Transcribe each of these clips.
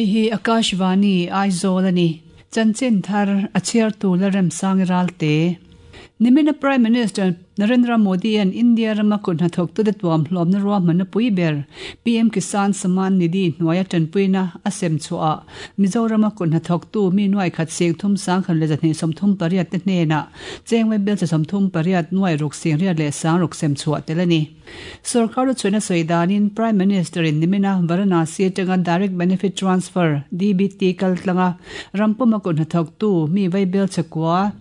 Hei hi Akashvani, Aizawl a ni. Chanchin thar a chhiartu Lalremsangi Ralte. Nimina Prime Minister Narendra Modi-a'n India rama kut hnathawktute tuamhlawmna ruahmanna pui ber PM Kisan Samman Nidhi hnuaia tanpuina a sem chhuahah Mizorama kut hnathawktu mi nuai khat sing thum sangkhat leh zahnih 38 te hnenah chengwe belcha 38 nuai ruk sing riat leh sang ruk sem chhuah tel a ni. Sorkar lu chhuihna sawi danin Prime Minister-in nimina Varanasi atanga Direct Benefit Transfer, DBT, kal tlanga ram puma kut hnathawktu mi vaibelcha kua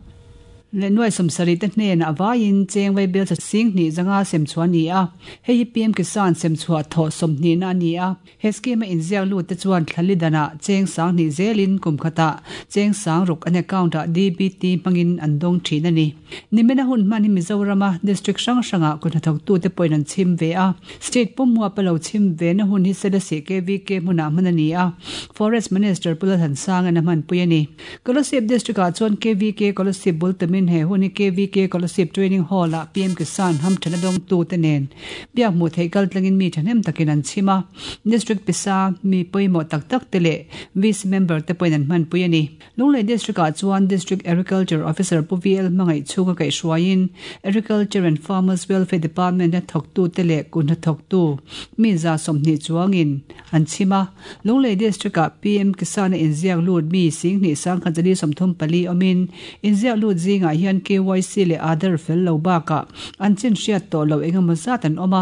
leh nuai 70 te hnenah vaiin cheng vaibelcha sing hnih zanga sem chhuah a ni a. Hei hi PM Kisan sem chhuah thawh sawmhnihna a ni a. He scheme a inziak lut te chuan thlali danah cheng sang hnih zelin kum khatah cheng sang ruk an account ah DBT hmangin an dawng thin a ni. Nimina hun hman hi Mizorama district hrang hrangah kut hnathawktute pawhin an chhim ve a. State pummuap a lo chhim ve na hun hi Selesih KVK hmunah hman a ni a, Forest Minister Pu Lalhansangin a hmanpui a ni. Kolasib District ah chuan KVK Kolasib bul tumin he hun hi KVK Kolasib Training Hall ah PM Kisan hamthan a dawngtute nen biak hmuh theih kal tlangin mi thahnem takin an chhim a. District pisa mi pawimawh tak tak te leh VC member te pawhin an hmanpui a ni. Lunglei District ah chuan District Agriculture Officer Pu VL Hmangaih chhunga kaihhruaiin Agriculture and Farmers Welfare Department a thawktute leh kuhna thawktu mi 120 chuangin an chhim a. Lunglei District ah PM Kisan a inziak lut mi 10,000 134 awmin inziak lut zingah hian KYC leh Aadhaar fel lo bakah an chin hriat tawh loh engemaw zat an awm a.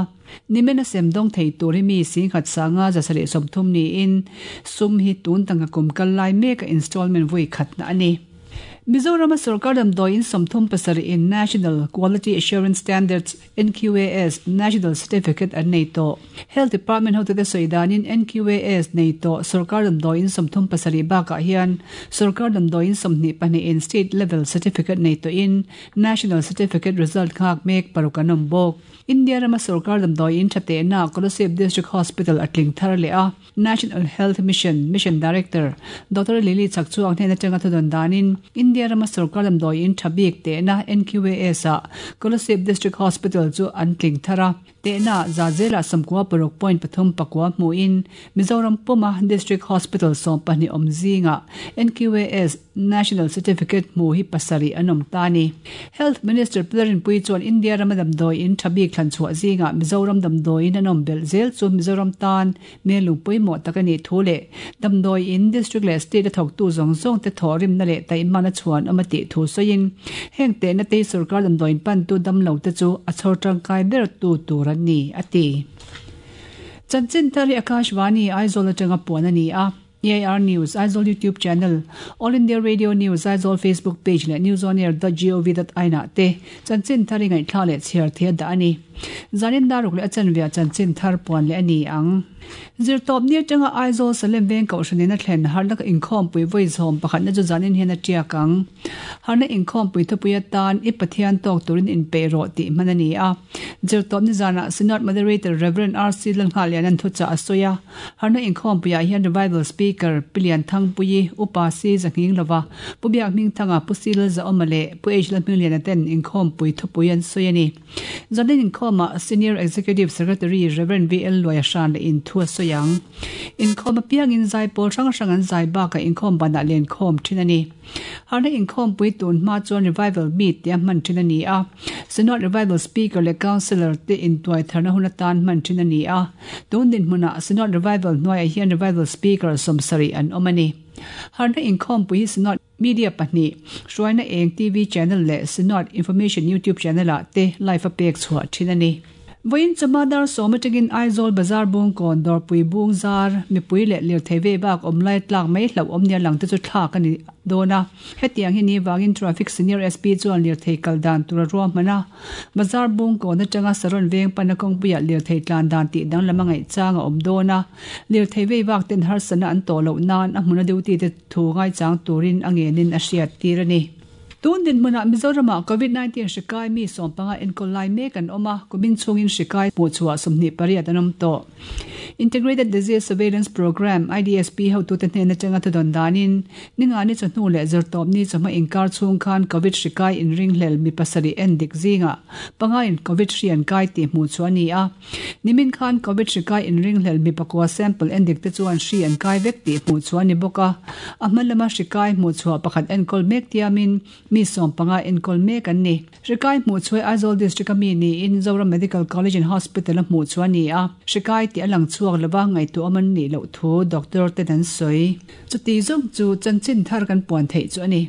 Nimin a sem dawng thei tur hi mi 10,000 530 niin sum hi tun tangka kum kal lai meka installment vui khatna a ni. Mizorama sorkar damdawiin 37 in National Quality Assurance Standards, NQAS, National Certificate an nei tawh. Health Department hotute sawi danin NQAS nei tawh sorkar damdawiin 37 bakah hian sorkar damdawiin 22 in State Level Certificate nei tawhin National Certificate result nghak mek paruk an awm bawk. India rama sorkar damdawiin tha tehna Kolasib District Hospital a tling thar leh a, National Health Mission Mission Director Doctor Lily Chakchuang hnen atanga thudawn danin India rama sorkar damdawiin tha bik tehna NQAS ah Kolasib District Hospital chu an tling thar a, tehna za zela 96 point pathum pakua hmuhin Mizoram puma District Hospital 12 awm zingah NQAS National Certificate hmu hi pasarih an awm ta a ni. Health Minister Pu Rinpuii chuan India rama damdawiin tha bik thlan chhuah zingah Mizoram damdawiin an awm belh zel chu Mizoram tan melung pawimawh tak a nih thu leh damdawiin district leh state a thawktu zawng zawng te thawhrimna leh taihmana chhuan awm a tih thu sawiin heng tehna te hi sorkar damdawiin pantu damlo te chu a chhawr tangkai ber tu tur an ni a ti. Chanchin thar hi Akashvani Aizawl atanga puan a ni a. AIR News, Aizawl YouTube Channel, All India Radio News, Aizawl Facebook Page leh newsonair.gov.in ah te chanchin thar i ngaihthlak leh chhiar thei a dah a ni. Zanin daruk leh a chanve ah chanchin thar puan leh a ni ang. Zirtawp ni atanga Aizawl Salem Veng Kohhran in a thlen harlaka inkhawmpui vawi zawm pakhatna chu zanin hian a tiak ang. Harna inkhawmpui thupui atan I Pathian tawk turin inpeih rawh tih hman a ni a. Zirtawp ni zanah Synod Moderator Rev. RC Lalnghahliana'n thuchah a sawi a. Harna inkhawmpuiah hian Revival Speaker Pi Lianthangpuii, Upa Si Zahnghing Lova, Pu Biak Hmingthanga, Pu Si Lalzaawma leh Pu H Lalhmingliana ten inkhawmpui thupui an sawi a ni. Zanin inkhawmah Senior Executive Secretary Rev. VL Luaia hran leh in thu a sawi ang. Inkhawm apiangin zaipawl hrang hrang an zai bakah inkhawm banah lenkhawm thin a ni. Harna inkhawmpui tun hma chuan Revival Meet tia hman thin a ni a. Synod Revival Speaker leh Counsellor te intuai tharna hun atan hman thin a ni a. Tun dinhmunah Synod Revival hnuaiah hian Revival Speaker 70 an awm a ni. Harna inkhawmpui hi Synod Media pahnih, Hruaina Eng TV Channel leh Synod Information YouTube Channel ah te live a pek chhuah thin a ni. Vawiin chawhma dar sawm atangin Aizawl Bazar Bungkawn Dawrpui Bung zar mipui leh lirthei ve bak awm lai tlak mai hlauh awm nia lang te chu thlak a ni dawn a. Hetiang hi ni vangin Traffic Senior SP chuan lirthei kal dan tur a ruahman a. Bazar Bungkawn atanga Saron veng pana kawngpuiah lirthei tlan dan tih danglam a ngaih chang a awm dawn a. Lirthei vei vak ten harsatna an tawh loh nan a hmuna duty te thu ngaichang turin a ngenin a hriat tir a ni. Tun dinhmunah Mizoramah Covid 19 hri kai mi 15 enkawl lai mek an awm a, kumin chhungin hri kai hmuhchhuah 28 an awm tawh. Integrated Disease Surveillance Programme, IDSP, hotute hnen atanga thudawn danin, Ningani chawhnu leh Zirtawpni chawhma inkar chhung khan Covid hri kai inringhlel mi pasarih en dik zingah pangain Covid hri an kai tih hmuh chu a ni a. Nimin khan Covid hri kai inringhlel mi pakua sample en dik te chuan hri an kai vek tih hmuh chu a ni bawk a. A hma lama hri kai hmuh chhuah pakhat enkawl mek tiamin mi 15 enkawl mek an ni. Hri kai hmuh chhuai Aizawl District a mi niin Zoram Medical College and Hospital a hmuh chu a ni a. Hri kai tih a lang chhuak lova ngaihtuah awm an nih loh thu doctor ten an sawi. Chuti zawng chu chanchin thar kan puan theih chu a ni.